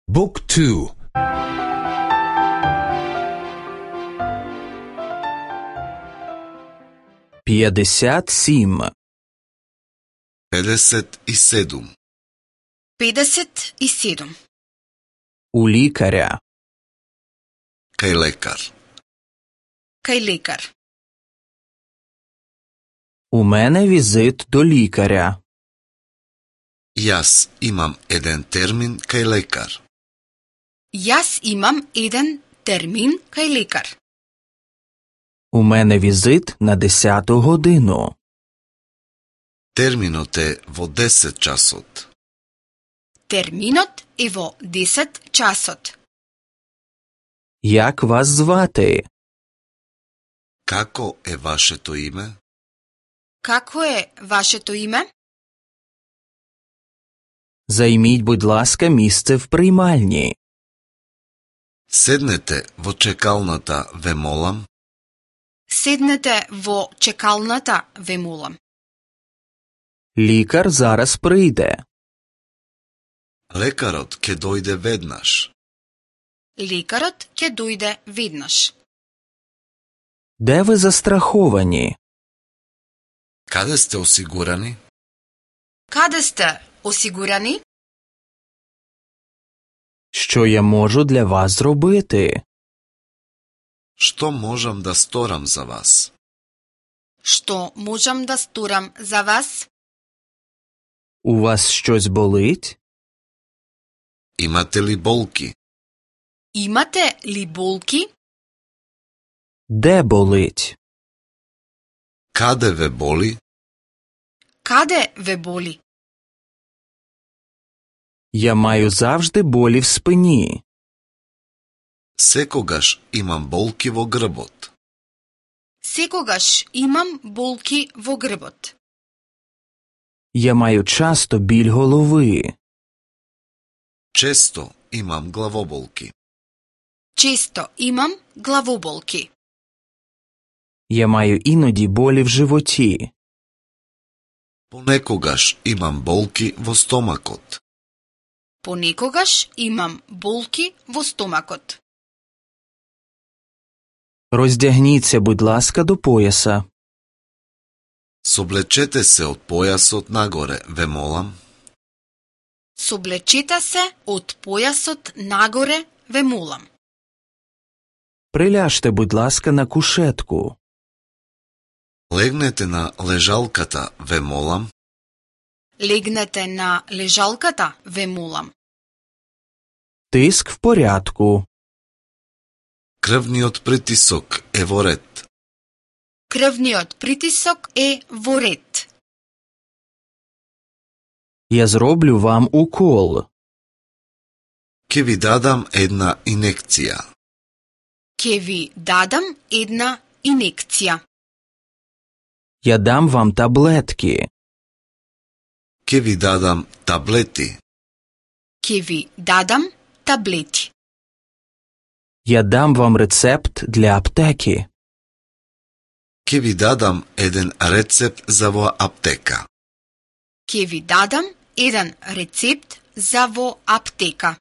Book 2. П'ятдесят сім. 57. 57. У лікаря. Кај лекар. Кај лекар. У мене візит до лікаря. Јас имам еден термин кај лекар. Јас имам еден термин кај лекар. У мене візит на 10 годину. Терминот е во 10 часот. Терминот е во 10 часот. Як вас звати? Како е вашето име? Како е вашето име? Займіть, будь ласка, місце в приймальні. Седнете во чекалната, ве молам. Седнете во чекалната, ве молам. Лікар зараз прийде. Лекарот ќе дојде веднаш. Лекарот ќе дојде веднаш. Де ви застраховані? Каде сте осигурани? Каде сте осигурани? Що я можу для вас зробити? Што можам да сторам за вас? Што можам да сторам за вас? У вас щось болить? Имате ли болки? Имате ли болки? Де болить? Каде ве боли? Каде ве боли? Я маю завжди болі в спині. Секогаш имам болки во грбот. Секогаш имам болки во грбот. Я маю часто біль голови. Често имам главоболки. Често имам главоболки. Я маю іноді болі в животі. Понекогаш имам болки во стомакот. Понекогаш имам болки во стомакот. Роздягніться, будь ласка, до пояса. Соблечете се од појасот нагоре, ве молам. Соблечете се од појасот нагоре, ве молам. Приляжте, будь ласка, на кушетку. Легнете на лежалката, ве молам. Легнете на лежалката, ве молам. Тиск в порядку. Крвниот притисок е во ред. Крвниот притисок е во ред. Я зроблю вам укол. Ке ви дадам една инекција. Ке ви дадам една инекција. Я дам вам таблетки. Ке ви дадам таблети. Ке ви дадам таблети. Я дам вам рецепт для аптеки. Ке ви дадам еден рецепт за во аптека. Ке ви дадам еден рецепт за во аптека.